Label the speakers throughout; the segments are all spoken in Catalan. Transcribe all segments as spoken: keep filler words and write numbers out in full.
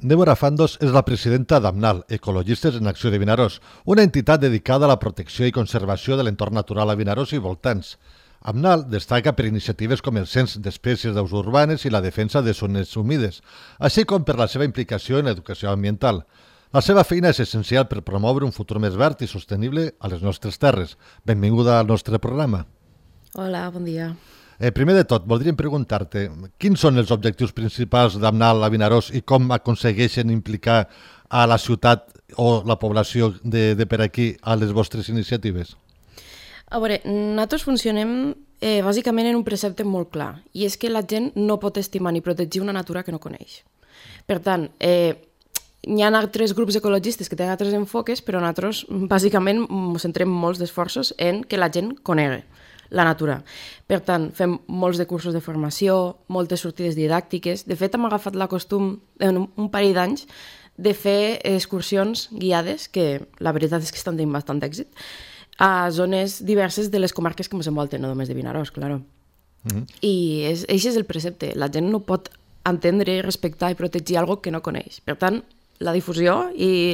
Speaker 1: Débora Fandos és la presidenta d'AMNAL, Ecologistes en Acció de Vinaròs, una entitat dedicada a la protecció i conservació de l'entorn natural a Vinaròs i voltants. AMNAL destaca per iniciatives com el cens d'espècies d'aus urbanes i la defensa de zones humides, així com per la seva implicació en l'educació ambiental. La seva feina és essencial per promoure un futur més verd i sostenible a les nostres terres. Benvinguda al nostre programa.
Speaker 2: Hola, bon dia.
Speaker 1: Eh, primer de tot, voldríem preguntar-te quins són els objectius principals d'AMNAL a Vinaròs i com aconsegueixen implicar a la ciutat o la població de, de per aquí a les vostres iniciatives?
Speaker 2: A veure, nosaltres funcionem eh, bàsicament en un precepte molt clar, i és que la gent no pot estimar ni protegir una natura que no coneix. Per tant, eh, hi ha altres grups ecologistes que tenen altres enfoques, però nosaltres bàsicament ens centrem molts d'esforços en que la gent conegui la natura. Per tant, fem molts de cursos de formació, moltes sortides didàctiques. De fet, hem agafat la costum en un parell d'anys de fer excursions guiades, que la veritat és que estan tenint bastant èxit, a zones diverses de les comarques que ens envolten, no només de Vinaròs, clar. Mm-hmm. I és, això és el precepte. La gent no pot entendre, respectar i protegir alguna cosa que no coneix. Per tant, la difusió i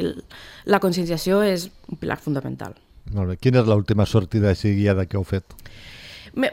Speaker 2: la conscienciació és un pilar fundamental.
Speaker 1: Molt bé. Quina és l'última sortida així guiada que heu fet?
Speaker 2: Me,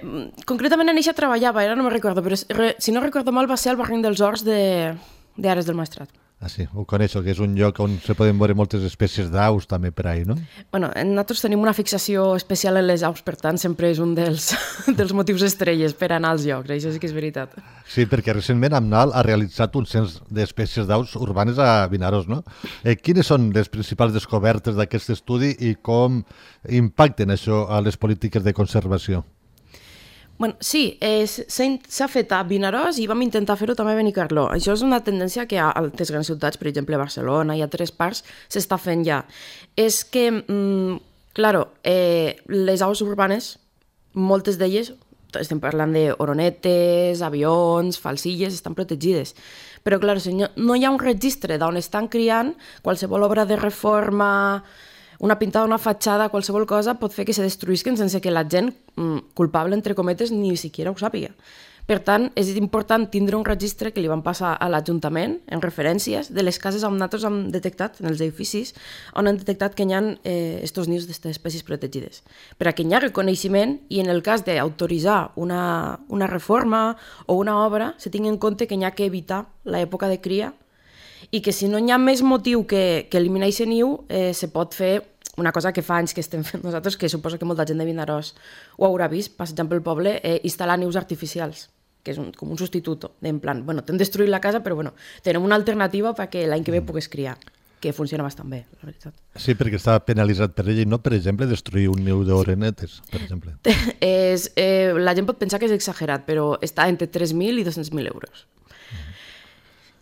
Speaker 2: concretament en eixa treballava, ara no me'n recordo, però re, si no recordo mal va ser el barranc dels Horts d'Ares del Maestrat.
Speaker 1: Ah, sí, ho coneixo, que és un lloc on se poden veure moltes espècies d'aus també per ahí, no?
Speaker 2: Bueno, nosaltres tenim una fixació especial en les aus, per tant, sempre és un dels, dels motius estrelles per anar als llocs, això sí que és veritat.
Speaker 1: Sí, perquè recentment AMNAL ha realitzat un cens d'espècies d'aus urbanes a Vinaròs, no? Eh, quines són les principals descobertes d'aquest estudi i com impacten això a les polítiques de conservació?
Speaker 2: Bueno, sí, eh, s'ha fet a Vinaròs i vam intentar fer-ho també a Benicarló. Això és una tendència que a altres grans ciutats, per exemple Barcelona i a altres parts, s'està fent ja. És que, mm, claro, eh, les aus urbanes, moltes d'elles, estem parlant d'oronetes, avions, falsilles, estan protegides. Però, clar, si no, no hi ha un registre d'on estan criant, qualsevol obra de reforma, una pintada, una fatxada, qualsevol cosa, pot fer que se destruïsquen sense que la gent mm, culpable, entre cometes, ni siquiera ho sàpiga. Per tant, és important tindre un registre que li van passar a l'Ajuntament, en referències, de les cases on nosaltres hem detectat, en els edificis, on han detectat que hi ha eh, estos nius d'aquestes espècies protegides. Per a que hi ha reconeixement i en el cas d'autoritzar una, una reforma o una obra, se tingui en compte que hi ha que evitar l'època de cria i que si no hi ha més motiu que, que eliminar aquest niu, eh, se pot fer una cosa que fa anys que estem fent nosaltres, que suposo que molta gent de Vinaròs ho haurà vist, passejant pel poble, eh, instal·lar nius artificials, que és un, com un substitut, en plan, bueno, t'hem destruït la casa, però bueno, tenim una alternativa perquè l'any que ve pugues criar, que funciona bastant bé, la veritat.
Speaker 1: Sí, perquè està penalitzat per ell i no, per exemple, destruir un niu d'oronetes, per exemple.
Speaker 2: és, eh, la gent pot pensar que és exagerat, però està entre tres mil i dos-cents mil euros.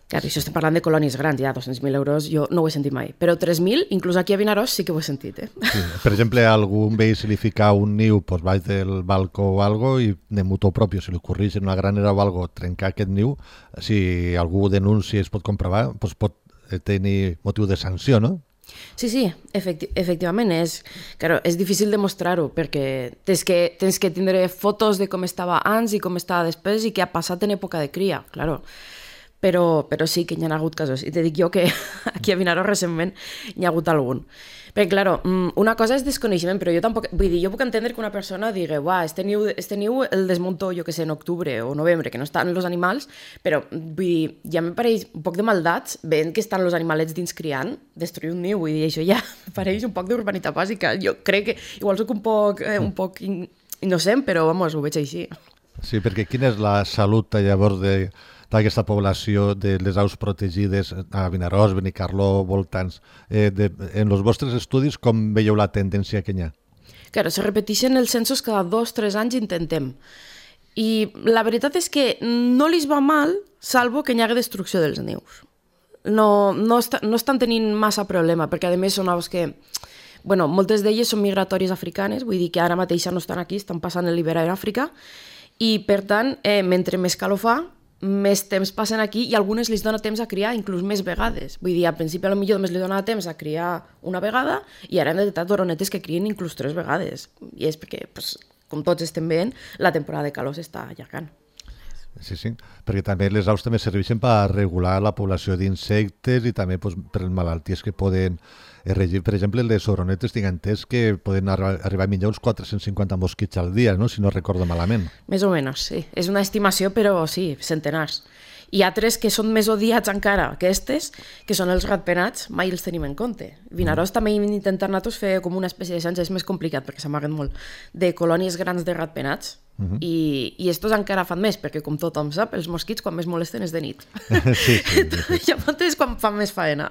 Speaker 2: Clar, això estem parlant de colònies grans, ja dos-cents mil euros jo no ho he sentit mai, però tres mil, inclús aquí a Vinaròs, sí que ho he sentit. Eh?
Speaker 1: Sí, per exemple, a algun veí se li fica un niu pues, baix del balcó o algo i de motu propi, si li ocorreix en una granera o algo trencar aquest niu, si algú denuncia i es pot comprovar, pues, pot tenir motiu de sanció, no?
Speaker 2: Sí, sí, efecti efectivament és, claro, és difícil demostrar-ho perquè tens que, tens que tindre fotos de com estava abans i com estava després i què ha passat en època de cria, claro. Però, però sí que hi ha hagut casos. I te dic jo que aquí a Vinaròs recentment hi ha hagut algun. Perquè, clar, una cosa és desconeixement, però jo tampoc... Vull dir, jo puc entendre que una persona digui «Uah, este niu, este niu el desmunto, jo que sé, en octubre o novembre, que no estan els animals», però, vull dir, ja me pareix un poc de maldats veient que estan els animalets dins criant, destruir un niu, vull dir, això ja me pareix un poc d'urbanitat bàsica. Jo crec que igual soc un poc, eh, un poc innocent, però, vamos, ho veig així.
Speaker 1: Sí, perquè quina és la salut, llavors, de... d'aquesta població de les aus protegides a Vinaròs, Benicarló, voltants. Eh, de, en els vostres estudis, com veieu la tendència que hi ha?
Speaker 2: Claro, se repeteixen els censos cada dos o tres anys intentem. I la veritat és que no li va mal, salvo que hi hagi destrucció dels nius. No, no, està, no estan tenint massa problema, perquè a més són aus que... Bueno, moltes d'elles són migratòries africanes, vull dir que ara mateix no estan aquí, estan passant l'hivern a Àfrica, i per tant, eh, mentre més calor fa, més temps passen aquí i algunes li dona temps a criar inclús més vegades. Vull dir, al principi potser només li dona temps a criar una vegada i ara hem detectat oronetes que crien inclús tres vegades. I és perquè, pues, com tots estem veient, la temporada de calor s'està allargant.
Speaker 1: Sí, sí, perquè també les aus també serveixen per regular la població d'insectes i també pues, per les malalties que poden regir. Per exemple, les oronetes tinc entès que poden arri arribar a menjar uns quatre-cents cinquanta mosquits al dia, no? Si no recordo malament.
Speaker 2: Més o menys, sí. És una estimació, però sí, centenars. Hi ha altres que són més odiats encara que aquestes, que són els ratpenats, mai els tenim en compte. Vinaròs mm. també intentar nosaltres fer com una espècie de cens, és més complicat perquè s'amaguen molt, de colònies grans de ratpenats, mm -hmm. i, i estos encara fan més, perquè com tothom sap, els mosquits quan més molesten és de nit.
Speaker 1: Sí, sí, sí.
Speaker 2: Llavors és quan fan més faena.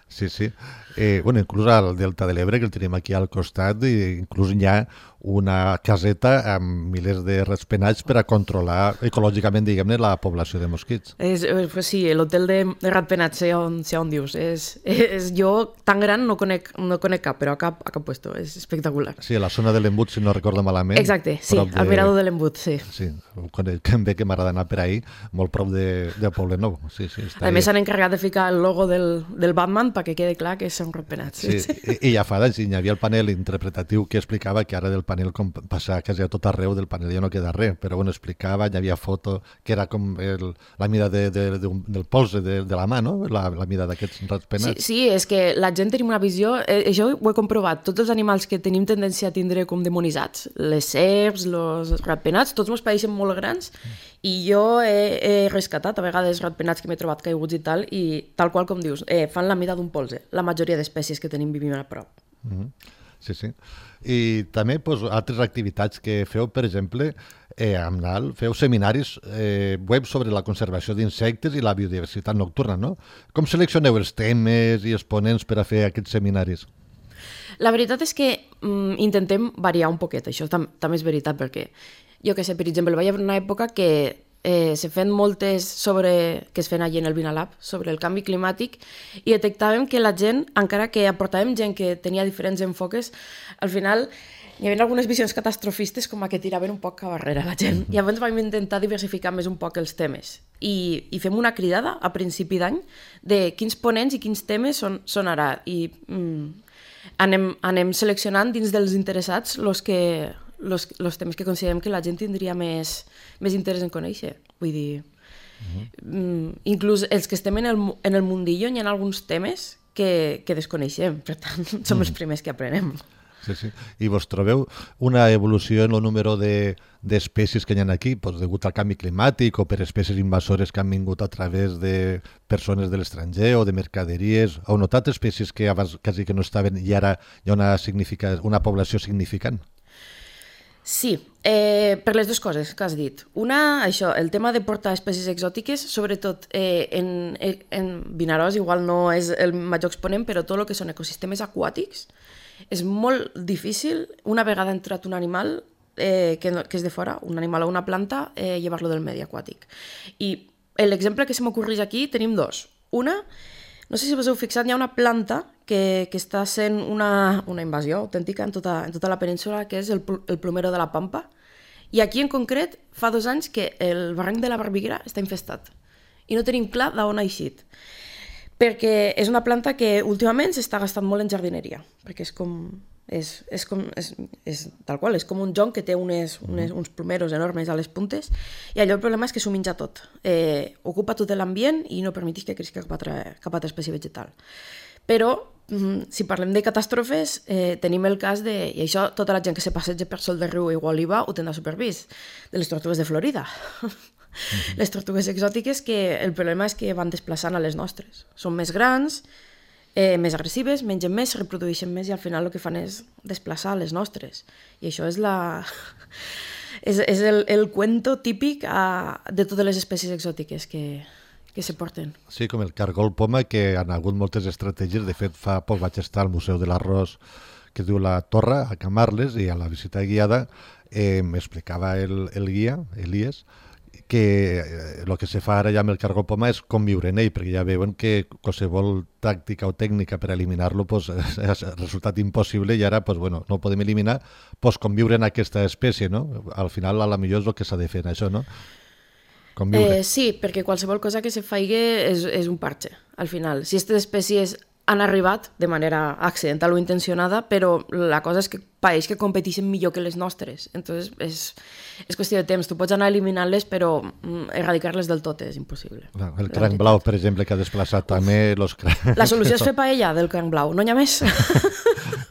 Speaker 1: Sí, sí. Eh, bueno, inclús al Delta de l'Ebre, que el tenim aquí al costat, i inclús hi ha una caseta amb milers de ratpenats per a controlar ecològicament, diguem-ne, la població de mosquits.
Speaker 2: És, pues sí, l'hotel de, de ratpenats, sé on, sé on dius. És, és, jo, tan gran, no conec, no conec cap, però a cap, a cap puesto. És espectacular.
Speaker 1: Sí, a la zona de l'Embut, si no recordo malament.
Speaker 2: Exacte, sí, de... al mirador de l'Embut, sí.
Speaker 1: Sí, quan ve que m'agrada anar per ahir, molt prop de, de Poblenou. Sí, sí,
Speaker 2: a més, s'han encarregat de ficar el logo del, del Batman perquè quede clar que són ratpenats.
Speaker 1: Sí, sí. I, i ja fa d'anys hi havia el panel interpretatiu que explicava que ara del panel, com passa quasi a tot arreu, del panel ja no queda res, però bueno, explicava, hi havia foto que era com el, la mida de, de, de, del polze de, de la mà, no? La, la mida d'aquests ratpenats.
Speaker 2: Sí, sí, és que la gent tenim una visió, eh, això ho he comprovat, tots els animals que tenim tendència a tindre com demonitzats, les serps, els ratpenats, tots ens pareixen molt grans, i jo he, he rescatat a vegades ratpenats que m'he trobat caiguts i tal, i tal qual com dius, eh, fan la mida d'un polze, la majoria d'espècies que tenim vivim a prop.
Speaker 1: Mm-hmm. Sí, sí. I també pues, altres activitats que feu, per exemple, eh, amb N A L, feu seminaris eh, web sobre la conservació d'insectes i la biodiversitat nocturna, no? Com seleccioneu els temes i els ponents per a fer aquests seminaris?
Speaker 2: La veritat és que mm, intentem variar un poquet, això tam també és veritat, perquè jo que sé, per exemple, va haver una època que eh, se feien moltes sobre, que es feien allà en el Vinalab, sobre el canvi climàtic, i detectàvem que la gent, encara que aportàvem gent que tenia diferents enfoques, al final hi havia algunes visions catastrofistes com a que tiraven un poc a barrera la gent. I llavors vam intentar diversificar més un poc els temes. I, i fem una cridada a principi d'any de quins ponents i quins temes són, són ara. I mm, anem, anem seleccionant dins dels interessats els que... Los, los temes que considerem que la gent tindria més, més interès en conèixer. Vull dir, uh-huh. mm, inclús els que estem en el, en el mundillo hi ha alguns temes que, que desconeixem, per tant, som uh-huh. els primers que aprenem.
Speaker 1: Sí, sí. I vos trobeu una evolució en el número d'espècies de, que hi ha aquí, doncs, degut al canvi climàtic o per espècies invasores que han vingut a través de persones de l'estranger o de mercaderies? Heu notat espècies que abans quasi que no estaven i ara hi ha una, una població significant?
Speaker 2: Sí, eh, per les dues coses que has dit. Una, això, el tema de portar espècies exòtiques, sobretot eh, en, en Vinaròs, igual no és el major exponent, però tot el que són ecosistemes aquàtics, és molt difícil, una vegada ha entrat un animal eh, que, no, que és de fora, un animal o una planta, eh, llevar-lo del medi aquàtic. I l'exemple que se m'ocorreix aquí tenim dos. Una, no sé si vos heu fixat, hi ha una planta que, que està sent una, una invasió autèntica en tota, en tota la península, que és el, el plomero de la Pampa. I aquí en concret fa dos anys que el barranc de la Barbiguera està infestat. I no tenim clar d'on ha eixit. Perquè és una planta que últimament s'està gastant molt en jardineria. Perquè és com... És, és, com, és, és tal qual, és com un jonc que té unes, unes, uns plomeros enormes a les puntes, i allò el problema és que s'ho menja tot. Eh, ocupa tot l'ambient i no permeteix que creixi cap altra, cap altra espècie vegetal. Però, si parlem de catàstrofes, eh, tenim el cas de, i això tota la gent que se passeja per Sol de Riu i Gualiva ho tindrà supervist, de les tortugues de Florida. Mm-hmm. Les tortugues exòtiques que el problema és que van desplaçant a les nostres. Són més grans, Eh, més agressives, mengen més, es reprodueixen més i al final el que fan és desplaçar les nostres. I això és la... és, és el, el cuento típic a, de totes les espècies exòtiques que, que se porten.
Speaker 1: Sí, com el cargol poma, que han hagut moltes estratègies. De fet, fa poc vaig estar al Museu de l'Arròs, que diu La Torre, a Camarles, i a la visita guiada eh, m'explicava el, el guia, Elies, que el que se fa ara ja amb el cargol poma és conviure en ell, perquè ja veuen que qualsevol tàctica o tècnica per eliminar-lo pues, ha resultat impossible i ara pues, bueno, no ho podem eliminar, pues, conviure en aquesta espècie, no? Al final, a la millor és el que s'ha de fer, això, no?
Speaker 2: Eh, sí, perquè qualsevol cosa que se faigui és, és un parche, al final. Si aquestes espècies han arribat de manera accidental o intencionada, però la cosa és que pareix que competeixen millor que les nostres. Entonces, és, és qüestió de temps. Tu pots anar eliminant-les, però erradicar-les del tot és impossible.
Speaker 1: No, el cranc blau, per exemple, que ha desplaçat Uf. també... Los...
Speaker 2: La solució és fer paella del cranc blau, no n'hi ha més.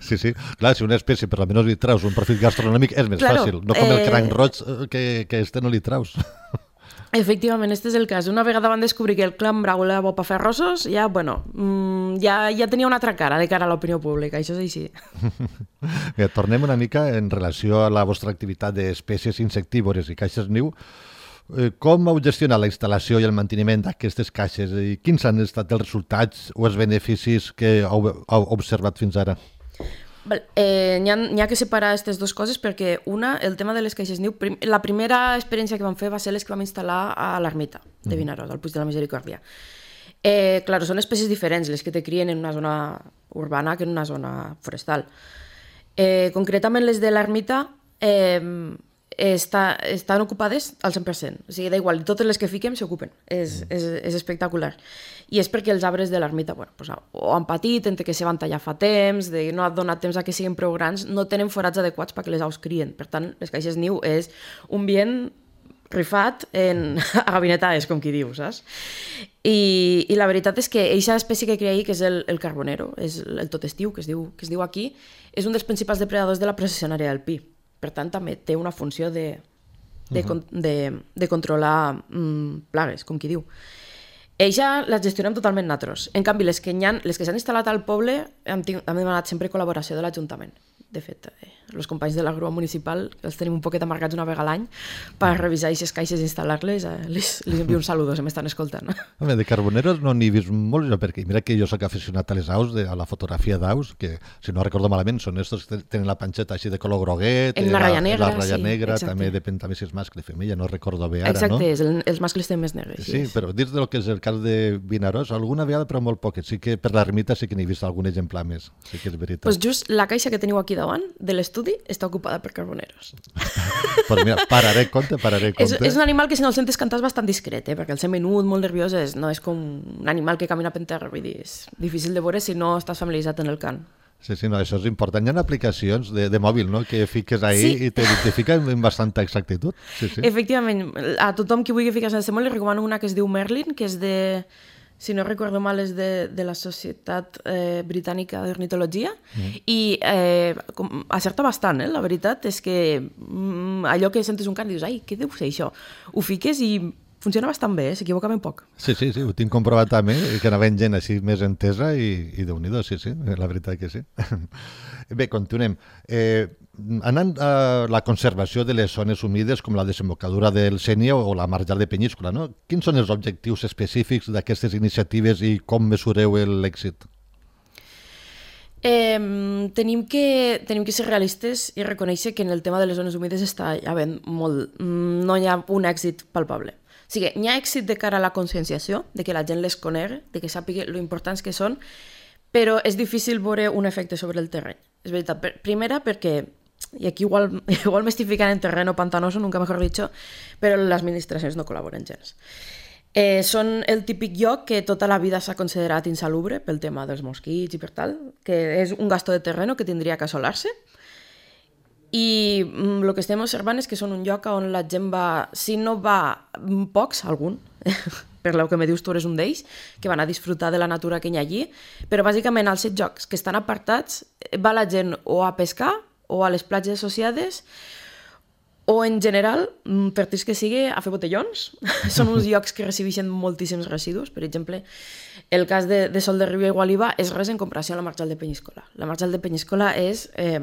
Speaker 1: Sí, sí. Clar, si una espècie per almenys li traus un profit gastronòmic és més claro, fàcil. No com eh... el cranc roig que, que este no li traus.
Speaker 2: Efectivament, este és el cas. Una vegada van descobrir que el cranc blau era bo per fer arrossos, ja, bueno, ja, ja tenia una altra cara de cara a l'opinió pública, això és així.
Speaker 1: Bé, tornem una mica en relació a la vostra activitat d'espècies insectívores i caixes niu. Com heu gestionat la instal·lació i el manteniment d'aquestes caixes i quins han estat els resultats o els beneficis que heu, heu observat fins ara?
Speaker 2: Eh, n'hi ha, n'hi ha que separar aquestes dues coses perquè una, el tema de les caixes niu, prim, la primera experiència que vam fer va ser les que vam instal·lar a l'ermita de Vinaròs, al Puig de la Misericòrdia. Eh, clar, són espècies diferents les que te crien en una zona urbana que en una zona forestal. Eh, concretament les de l'ermita eh, està, estan ocupades al cent per cent, o sigui, da igual, totes les que fiquem s'ocupen, és, és, és espectacular. I és perquè els arbres de l'ermita, bueno, pues, o han patit, entre que se van tallar fa temps, de no ha donat temps a que siguin prou grans, no tenen forats adequats perquè les aus crien. Per tant, les caixes niu és un bien rifat en agabinetades, com qui diu, saps? I, i la veritat és que aquesta espècie que cria ahir, que és el, el carbonero, és el totestiu, que es diu, que es diu aquí, és un dels principals depredadors de la processionària del pi. Per tant, també té una funció de, de, uh-huh. de, de controlar mm, plagues, com qui diu. Eixa les gestionem totalment natros. En canvi, les que, ha, les que s'han instal·lat al poble han, han demanat sempre col·laboració de l'Ajuntament. De fet, eh, els companys de la grua municipal els tenim un poquet amargats una vegada a l'any per revisar aquestes caixes i instal·lar-les. Eh, les, les envio un saludo, si m'estan escoltant.
Speaker 1: Home, de carboneros no n'hi he vist molt, perquè mira que jo soc aficionat a les aus, de, a la fotografia d'aus, que si no recordo malament són estos que tenen la panxeta així de color groguet,
Speaker 2: en la ratlla negra,
Speaker 1: la ratlla
Speaker 2: sí,
Speaker 1: negra
Speaker 2: exacte.
Speaker 1: També depèn també si és mascle o femella, no recordo bé ara,
Speaker 2: exacte,
Speaker 1: no?
Speaker 2: Exacte, el, els mascles tenen més negres.
Speaker 1: Sí, sí, però dins del que és el cas de Vinaròs, alguna vegada però molt poquet, sí que per l'ermita sí que n'he vist algun exemplar més, sí que és veritat.
Speaker 2: Pues just la caixa que teniu aquí davant de l'estudi està ocupada per carboneros.
Speaker 1: Pues mira, pararé compte, pararé compte.
Speaker 2: És, és un animal que si no el sentes cantar és bastant discret, eh? Perquè el ser menut, molt nerviós, és, no és com un animal que camina per terra, vull dir, és difícil de veure si no estàs familiaritzat en el cant.
Speaker 1: Sí, sí, no, això és important. Hi ha aplicacions de, de mòbil, no?, que fiques ahí sí. i t'identifica amb bastanta exactitud. Sí, sí.
Speaker 2: Efectivament, a tothom qui vulgui ficar-se en aquest món li recomano una que es diu Merlin, que és de... si no recordo mal, és de, de la Societat eh, Britànica d'Ornitologia, mm. i eh, com, acerta bastant, eh? La veritat és que mm, allò que sentes un cant i dius, ai, què deu ser això? Ho fiques i funciona bastant bé, eh? S'equivoca ben poc.
Speaker 1: Sí, sí, sí, ho tinc comprovat també, que anava gent així més entesa i, i Déu-n'hi-do, sí, sí, la veritat que sí. Bé, continuem. Eh, anant a la conservació de les zones humides com la desembocadura del Sénia o la marjal de Penyíscola, no? Quins són els objectius específics d'aquestes iniciatives i com mesureu l'èxit?
Speaker 2: Eh, tenim, que, tenim que ser realistes i reconèixer que en el tema de les zones humides està havent molt, no hi ha un èxit palpable. O sigui, hi ha èxit de cara a la conscienciació, de que la gent les conegui, de que sàpiga lo importants que són, però és difícil veure un efecte sobre el terreny. És veritat, per, primera perquè, i aquí igual, igual m'estic ficant en terreno pantanoso, nunca mejor dicho, però les administracions no col·laboren gens. Eh, són el típic lloc que tota la vida s'ha considerat insalubre pel tema dels mosquits i per tal, que és un gasto de terreno que tindria que assolar-se, i mm, el que estem observant és que són un lloc on la gent va, si no va pocs, algun, per lo que me dius tu eres un d'ells, que van a disfrutar de la natura que hi ha allí, però bàsicament als set jocs que estan apartats va la gent o a pescar o a les platges associades o en general, per trist que sigui, a fer botellons. Són uns llocs que recibeixen moltíssims residus. Per exemple, el cas de, de Sol de Riu i Gualiva és res en comparació a la marjal de Penyíscola. La marjal de Penyíscola és... Eh,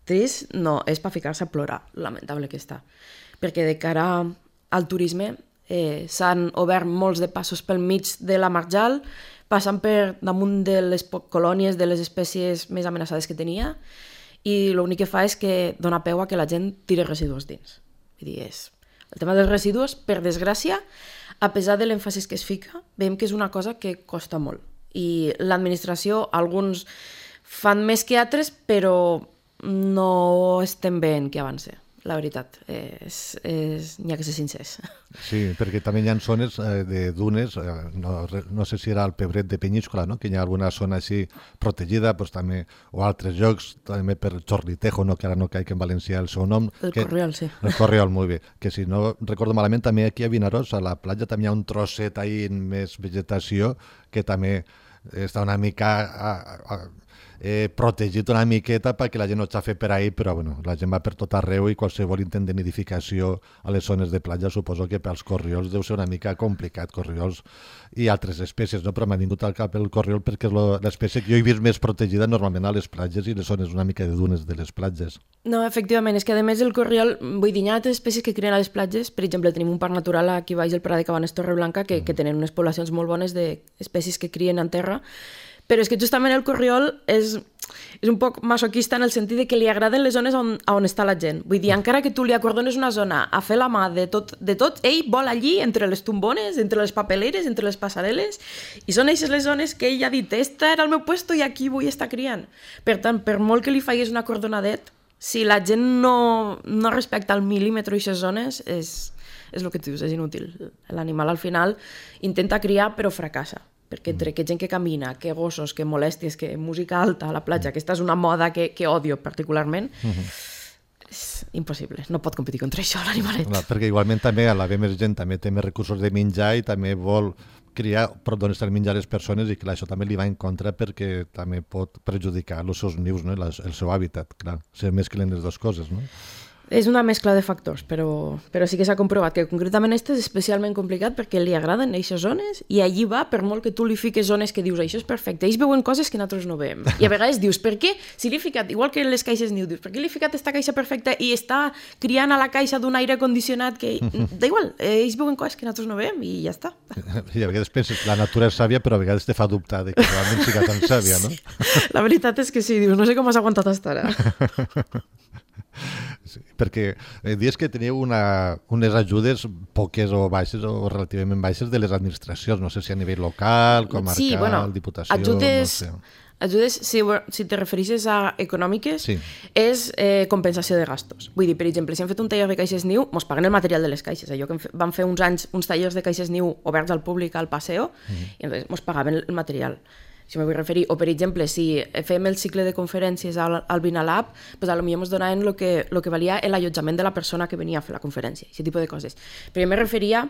Speaker 2: trist, no, és per ficar-se a plorar, lamentable que està. Perquè de cara al turisme eh, s'han obert molts de passos pel mig de la marjal, passant per damunt de les colònies de les espècies més amenaçades que tenia, i l'únic que fa és que dona peu a que la gent tiri residus dins. Vull dir, és... El tema dels residus, per desgràcia, a pesar de l'èmfasis que es fica, veiem que és una cosa que costa molt. I l'administració, alguns fan més que altres, però no estem veient que avancem. la veritat. És, és... N'hi ha que ser sincers.
Speaker 1: Sí, perquè també hi ha zones eh, de dunes, eh, no, no sé si era el Pebret de Penyíscola, no? Que hi ha alguna zona així protegida, pues, també, o altres llocs, també per Chorlitejo, no? Que ara no caic en valencià el seu nom.
Speaker 2: El
Speaker 1: que,
Speaker 2: Corriol, sí.
Speaker 1: El Corriol, molt bé. Que si no recordo malament, també aquí a Vinaròs, a la platja, també hi ha un trosset ahí en més vegetació que també està una mica... A, a, eh, protegit una miqueta perquè la gent no xafi per ahí, però bueno, la gent va per tot arreu i qualsevol intent de nidificació a les zones de platja suposo que pels corriols deu ser una mica complicat, corriols i altres espècies, no? Però m'ha vingut al cap el corriol perquè és l'espècie que jo he vist més protegida normalment a les platges i les zones una mica de dunes de les platges.
Speaker 2: No, efectivament, és que a més el corriol, vull dir, hi ha altres espècies que crien a les platges, per exemple, tenim un parc natural aquí baix del Prat de Cabanes Torreblanca que, mm. que tenen unes poblacions molt bones d'espècies que crien en terra, però és que justament el corriol és, és un poc masoquista en el sentit de que li agraden les zones on, on està la gent. Vull dir, encara que tu li acordones una zona a fer la mà de tot, de tot, ell vol allí, entre les tombones, entre les papeleres, entre les passarel·les, i són aquestes les zones que ell ha dit, esta era el meu puesto i aquí vull estar criant. Per tant, per molt que li faiguis una acordonadet, si la gent no, no respecta al mil·límetre aquestes zones, és, és el que tu dius, és inútil. L'animal al final intenta criar però fracassa. Perquè entre que gent que camina, que gossos, que molèsties, que música alta a la platja, aquesta és una moda que, que odio particularment, uh-huh. és impossible, no pot competir contra això l'animalet. Clar,
Speaker 1: perquè igualment també a l'haver més gent també té més recursos de menjar i també vol criar per d'on estan menjar les persones i clar, això també li va en contra perquè també pot perjudicar els seus nius, no? El seu hàbitat, clar, se mesclen les dues coses, no?
Speaker 2: És una mescla de factors, però, però sí que s'ha comprovat que concretament este és especialment complicat perquè li agraden aquestes zones i allí va, per molt que tu li fiques zones que dius això és perfecte, ells veuen coses que nosaltres no veiem. I a vegades dius, per què? Si li he ficat, igual que les caixes niu, dius, per què li he ficat esta caixa perfecta i està criant a la caixa d'un aire condicionat que... Da igual, ells veuen coses que nosaltres no veiem i ja està.
Speaker 1: I a vegades penses que la natura és sàvia, però a vegades te fa dubtar de que realment siga tan sàvia, no?
Speaker 2: La veritat és que sí, dius, no sé com has aguantat hasta ara.
Speaker 1: Sí, perquè eh, dius que teniu una, unes ajudes poques o baixes o relativament baixes de les administracions, no sé si a nivell local, comarcal,
Speaker 2: sí, bueno,
Speaker 1: diputació,
Speaker 2: ajudes,
Speaker 1: no sé.
Speaker 2: Ajudes, si, si te refereixes a econòmiques,
Speaker 1: sí.
Speaker 2: és eh, compensació de gastos. Vull dir, per exemple, si hem fet un taller de caixes niu, ens paguen el material de les caixes. Allò que vam fer uns anys uns tallers de caixes niu oberts al públic al Paseo, mm-hmm. i ens pagaven el material. Si m'ho vull referir, o per exemple, si fem el cicle de conferències al, al Vinalab, pues a lo millor ens donaven el que, lo que valia l'allotjament de la persona que venia a fer la conferència, aquest tipus de coses. Però jo me referia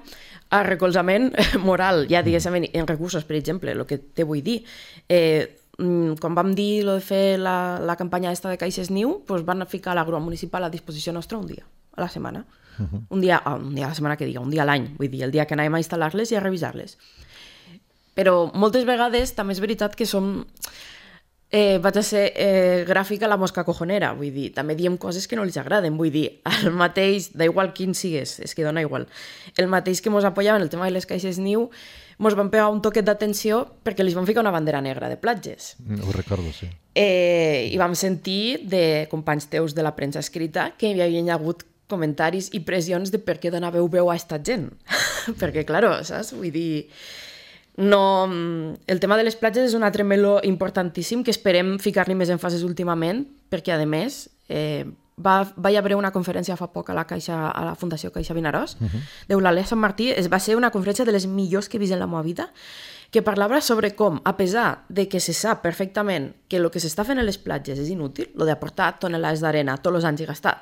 Speaker 2: a recolzament moral, ja diguéssim, en recursos, per exemple, el que te vull dir. Eh, quan vam dir lo de fer la, la campanya esta de caixes niu, pues van ficar la grua municipal a disposició nostra un dia, a la setmana. Uh-huh. Un dia, oh, un dia a la setmana que diga, un dia a l'any, vull dir, el dia que anàvem a instal·lar-les i a revisar-les. Però moltes vegades també és veritat que som... Eh, vaig a ser eh, gràfica la mosca cojonera, vull dir, també diem coses que no els agraden, vull dir, el mateix, da igual quin sigues, és que dona igual, el mateix que mos apoyaven el tema de les caixes niu, mos van pegar un toquet d'atenció perquè li van ficar una bandera negra de platges.
Speaker 1: Ho recordo, sí.
Speaker 2: Eh, I vam sentir de companys teus de la premsa escrita que hi havia hagut comentaris i pressions de per què donàveu veu a esta gent. Perquè, claro, saps? Vull dir... No, el tema de les platges és un altre meló importantíssim que esperem ficar-li més èmfasis últimament, perquè, a més, eh, va, va haver una conferència fa poc a la, Caixa, a la Fundació Caixa Vinaròs, uh-huh. d'Eulàlia Sant Martí. Es va ser una conferència de les millors que he vist en la meva vida, que parlava sobre com, a pesar de que se sap perfectament que el que s'està fent a les platges és inútil, lo d'aportar tonelades d'arena tots els anys i gastar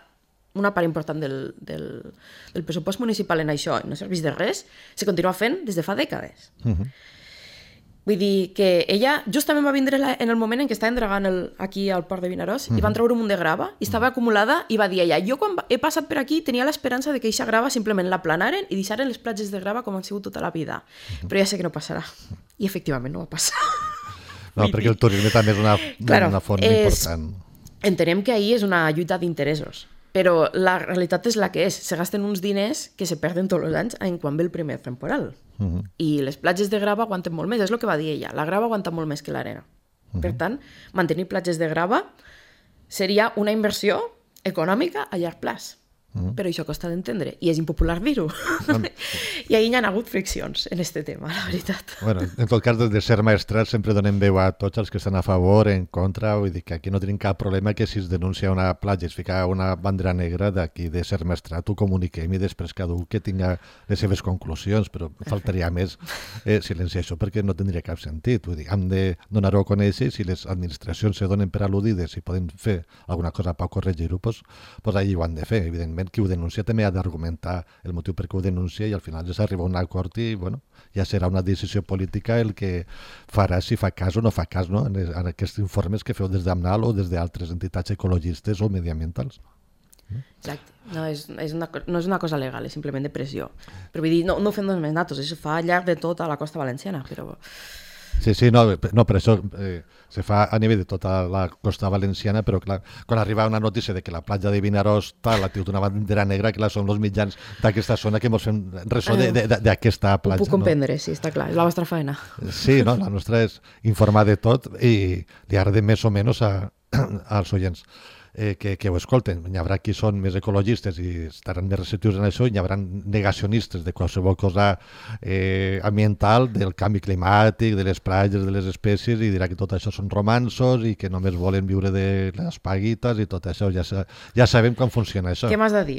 Speaker 2: una part important del, del, del pressupost municipal en això no serveix de res, se continua fent des de fa dècades. Uh-huh. Vull dir que ella justament va vindre en el moment en què estava entregant el, aquí al port de Vinaròs uh-huh. i van treure un munt de grava i estava acumulada i va dir ella, jo quan he passat per aquí tenia l'esperança de que aquesta grava simplement la planaren i deixaren les platges de grava com han sigut tota la vida. Uh-huh. Però ja sé que no passarà. I efectivament no va passar.
Speaker 1: No, perquè el turisme també és una, claro, una font és, important.
Speaker 2: Entenem que ahir és una lluita d'interessos. Però la realitat és la que és. Se gasten uns diners que se perden tots els anys en quan ve el primer temporal. Uh-huh. I les platges de grava aguanten molt més. És el que va dir ella. La grava aguanta molt més que l'arena. Uh-huh. Per tant, mantenir platges de grava seria una inversió econòmica a llarg plaç. Mm. Però això costa d'entendre i és impopular dir-ho. Mm. I ahir hi ha hagut friccions en aquest tema, la veritat.
Speaker 1: Bueno, en tot cas, des de Ser Maestrat sempre donem veu a tots els que estan a favor, en contra, vull dir que aquí no tenim cap problema que si es denuncia una platja i es fica una bandera negra d'aquí de Ser Maestrat ho comuniquem i després cada un que tinga les seves conclusions, però faltaria més eh, silenciar això perquè no tindria cap sentit. Vull dir, hem de donar-ho a conèixer i si les administracions se donen per al·ludides i poden fer alguna cosa per corregir-ho, doncs, doncs allà ho han de fer, evidentment. Qui ho denuncia també ha d'argumentar el motiu per què ho denuncia i al final ja s'arriba a un acord i bueno, ja serà una decisió política el que farà si fa cas o no fa cas, no? en, en aquests informes que feu des d'AMNAL o des d'altres entitats ecologistes o mediambientals.
Speaker 2: Exacte, no és, és una, no és una cosa legal, és simplement de pressió. Però vull dir, no, no ho fem només nosaltres, això fa al llarg de tota la costa valenciana, però...
Speaker 1: Sí, sí, no, no per això eh, se fa a nivell de tota la costa valenciana, però clar, quan arriba una notícia de que la platja de Vinaròs tal, ha tingut una bandera negra, clar, són els mitjans d'aquesta zona que ens fem ressò d'aquesta platja.
Speaker 2: Ho puc comprendre, no? Sí, està clar, és la vostra feina.
Speaker 1: Sí, no, la nostra és informar de tot i li agrada més o menys a, als oients. Eh, que, que ho escolten. Hi haurà qui són més ecologistes i estaran més receptius en això i hi haurà negacionistes de qualsevol cosa eh, ambiental, del canvi climàtic, de les platges, de les espècies i dirà que tot això són romansos i que només volen viure de les paguites i tot això. Ja, ja sabem com funciona això.
Speaker 2: Què m'has de dir?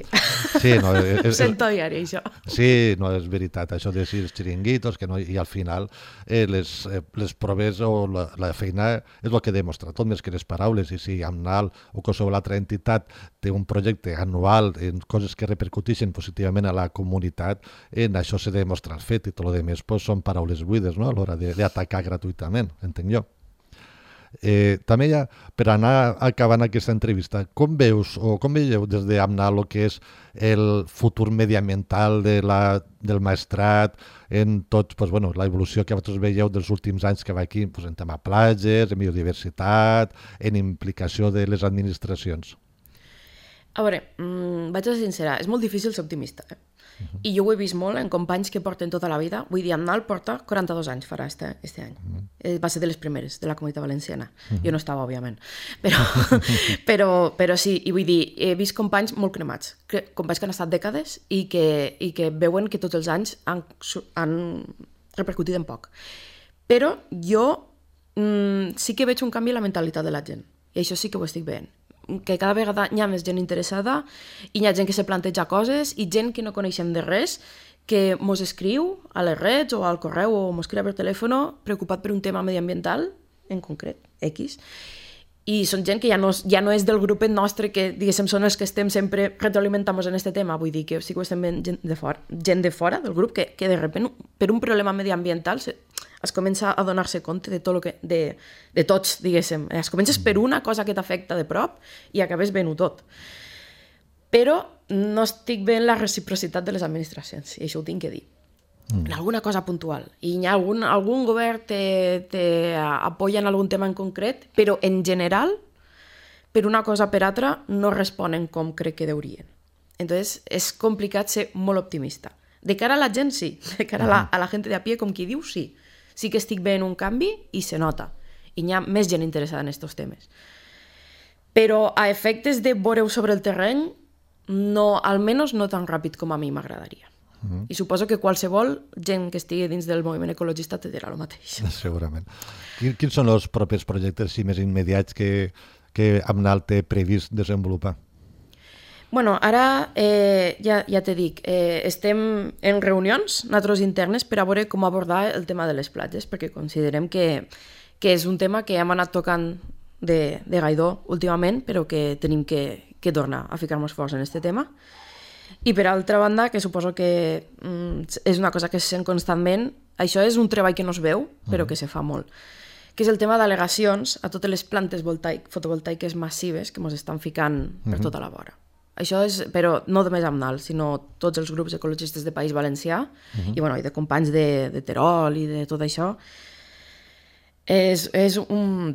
Speaker 1: Sí, no, és,
Speaker 2: sento diari, això.
Speaker 1: Sí, no, és veritat. Això de si els xiringuitos, que no, i al final eh, les, eh, les proves o la, la feina és el que demostra, tot més que les paraules. I si AMNAL o qualsevol l'altra entitat té un projecte anual en coses que repercuteixen positivament a la comunitat, en això s'ha de demostrar el fet i tot el que més pues, són paraules buides, no? A l'hora d'atacar gratuïtament, entenc jo. Eh, també ja, per anar acabant aquesta entrevista, com veus o com veieu des d'AMNAL el que és el futur mediambiental de la, del maestrat en tot, pues, bueno, la evolució que vosaltres veieu dels últims anys que va aquí pues, en tema platges, en biodiversitat, en implicació de les administracions?
Speaker 2: A veure, mmm, vaig a ser sincera, és molt difícil ser optimista, eh? Uh-huh. I jo ho he vist molt en companys que porten tota la vida. Vull dir, AMNAL porta quaranta-dos anys, farà este, este any. Uh-huh. eh, va ser de les primeres de la Comunitat Valenciana. Uh-huh. Jo no estava, òbviament. Però, però, però sí, i vull dir, he vist companys molt cremats, companys que han estat dècades i que, i que veuen que tots els anys han, han repercutit en poc. Però jo mm, sí que veig un canvi en la mentalitat de la gent. I això sí que ho estic veient. Que cada vegada hi ha més gent interessada i hi ha gent que se planteja coses i gent que no coneixem de res que mos escriu a les redes o al correu o mos escriu per telèfon preocupat per un tema mediambiental, en concret, X, i són gent que ja no, ja no és del grupet nostre que, diguéssim, són els que estem sempre retroalimentant-nos en aquest tema, vull dir que sí que ho estem veient gent de fora, gent de fora del grup que, que de repente per un problema mediambiental se, es comença a donar-se compte de tot lo que, de, de tots, diguéssim. Es comences per una cosa que t'afecta de prop i acabes veient-ho tot. Però no estic veient la reciprocitat de les administracions, i això ho tinc que dir. Mm. En alguna cosa puntual. I hi ha algun, algun govern te, te apoya en algun tema en concret, però en general, per una cosa o per altra, no responen com crec que deurien. Entonces, és complicat ser molt optimista. De cara a la gent, sí. De cara a la, a la gent de a pie, com qui diu, sí. Sí que estic veient un canvi i se nota. I hi ha més gent interessada en aquests temes. Però a efectes de veure-ho sobre el terreny, no, almenys no tan ràpid com a mi m'agradaria. Uh-huh. I suposo que qualsevol gent que estigui dins del moviment ecologista te dirà el mateix.
Speaker 1: Segurament. Quins són els propers projectes sí, més immediats que, que AMNAL té previst desenvolupar?
Speaker 2: Bueno, ara eh, ja, ja te dic, eh, estem en reunions, nosaltres internes, per a veure com abordar el tema de les platges, perquè considerem que, que és un tema que hem anat tocant de, de gaidó últimament, però que tenim que, que tornar a ficar-nos forts en aquest tema. I per altra banda, que suposo que mm, és una cosa que se sent constantment, això és un treball que no es veu, però que se fa molt, que és el tema d'al·legacions a totes les plantes voltaic, fotovoltaiques massives que ens estan ficant per tota la vora. Això és, però no només AMNAL, sinó tots els grups ecologistes de País Valencià uh-huh. i, bueno, i de companys de, de Terol i de tot això. És, és, un,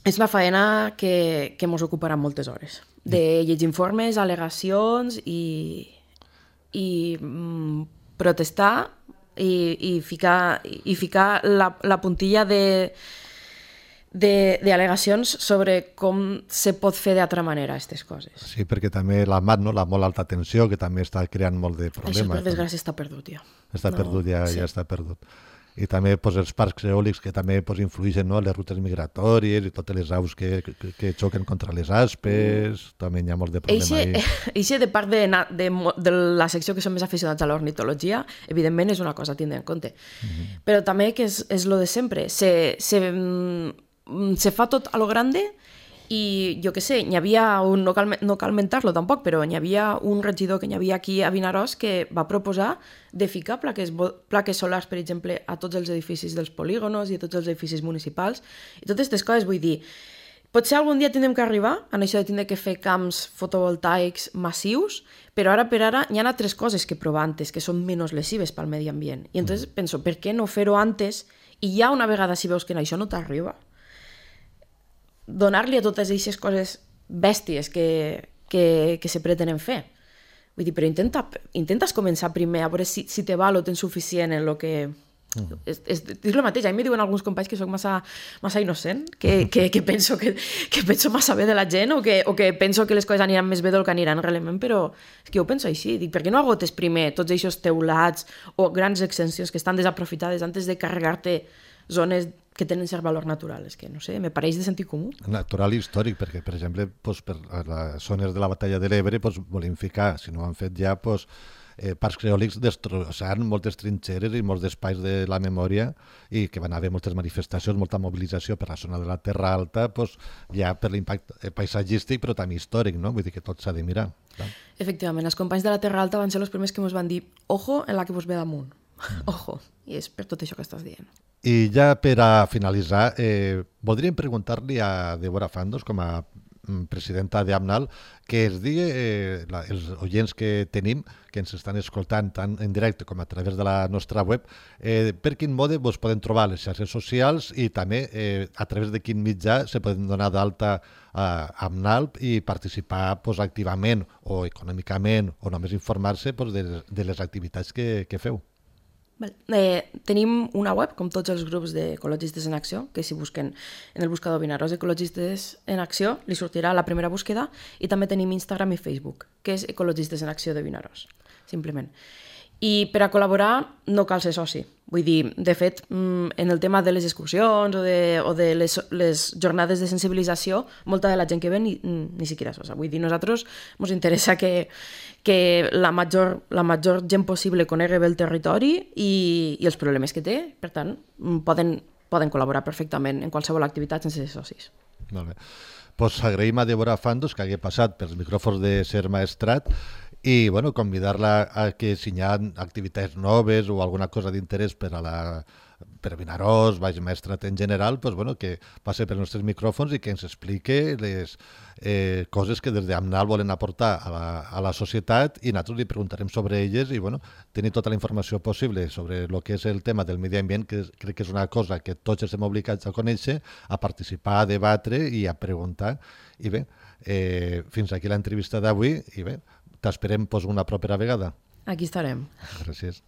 Speaker 2: és una faena que, que ens ocuparà moltes hores. De llegir informes, al·legacions i, i mm, protestar i, i ficar, i ficar la, la puntilla de d'al·legacions sobre com se pot fer d'altra manera aquestes coses.
Speaker 1: Sí, perquè també la M A T, no? La molt alta tensió, que també està creant molt de problemes.
Speaker 2: Això, per desgràcia, està perdut ja.
Speaker 1: Està no, perdut, ja, sí. ja està perdut. I també pues, els parcs eòlics que també pues, influeixen, no? Les rutes migratòries i totes les aus que, que, que xoquen contra les aspes, mm. també hi ha molt de problema
Speaker 2: ahí. Eixe de part de, de, de la secció que som més aficionats a l'ornitologia, evidentment és una cosa a tindre en compte. Mm-hmm. Però també que és, és lo de sempre, se, se, se fa tot a lo grande i jo què sé, n'hi havia un, no cal, no cal mentar-lo tampoc, però n'hi havia un regidor que n'hi havia aquí a Vinaròs que va proposar de ficar plaques, plaques solars, per exemple, a tots els edificis dels polígonos i a tots els edificis municipals. I totes aquestes coses, vull dir, potser algun dia tindrem que arribar en això de tindre que fer camps fotovoltaics massius, però ara per ara hi ha altres coses que provar antes, que són menys lesives pel medi ambient. I entonces penso, per què no fer-ho antes? I ja una vegada si veus que això no t'arriba, donar-li a totes aquestes coses bèsties que, que, que se pretenen fer. Vull dir, però intenta, intentes començar primer a veure si, si te val o tens suficient en el que... Mm. És, és, és el mateix, a mi me diuen alguns companys que soc massa, massa innocent, que, que, que, penso que, que penso massa bé de la gent o que, o que penso que les coses aniran més bé del que aniran realment, però és que jo ho penso així. Dic, per què no agotes primer tots aquests teulats o grans extensions que estan desaprofitades antes de carregar-te zones que tenen cert valor natural? És que, no sé, me pareix de sentit comú.
Speaker 1: Natural i històric, perquè, per exemple, pues, per les zones de la batalla de l'Ebre pues, volem ficar, si no ho han fet ja, pues, eh, parcs eòlics destrossant moltes trinxeres i molts espais de la memòria i que van haver moltes manifestacions, molta mobilització per la zona de la Terra Alta, pues, ja per l'impacte paisatgístic, però també històric, no? Vull dir que tot s'ha de mirar. Clar.
Speaker 2: Efectivament, els companys de la Terra Alta van ser els primers que ens van dir ojo en la que vos ve damunt. Ojo, i és per tot això que estàs dient.
Speaker 1: I ja per a finalitzar, eh, voldríem preguntar-li a Débora Fandos, com a presidenta d'AMNAL, que es digui, eh, la, els oients que tenim, que ens estan escoltant tant en directe com a través de la nostra web, eh, per quin mode vos poden trobar les xarxes socials i també eh, a través de quin mitjà se poden donar d'alta a AMNAL i participar pues, activament o econòmicament o només informar-se pues, de, de les activitats que, que feu.
Speaker 2: Vale. Eh, tenim una web, com tots els grups d'Ecologistes en Acció, que si busquen en el buscador Vinaròs Ecologistes en Acció, li sortirà la primera búsqueda, i també tenim Instagram i Facebook, que és Ecologistes en Acció de Vinaròs, simplement. I per a col·laborar no cal ser soci. Vull dir, de fet, en el tema de les excursions o de, o de les, les jornades de sensibilització, molta de la gent que ve ni, ni siquiera és soci. Vull dir, nosaltres ens interessa que, que la, major, la major gent possible conegui bé el territori i, i els problemes que té. Per tant, poden, poden col·laborar perfectament en qualsevol activitat sense ser socis.
Speaker 1: Molt bé. Pues agraïm a Débora Fandos que hagi passat pels micròfons de Ser Maestrat i bueno, convidar-la a que si hi ha activitats noves o alguna cosa d'interès per a la per Vinaròs, Baix Maestrat en general, pues, bueno, que passe pels nostres micròfons i que ens explique les eh, coses que des d'AMNAL volen aportar a la, a la societat i nosaltres li preguntarem sobre elles i bueno, tenir tota la informació possible sobre el que és el tema del medi ambient, que crec que és una cosa que tots estem obligats a conèixer, a participar, a debatre i a preguntar. I bé, eh, fins aquí l'entrevista d'avui i bé, t'esperem pues, una propera vegada.
Speaker 2: Aquí estarem.
Speaker 1: Gràcies.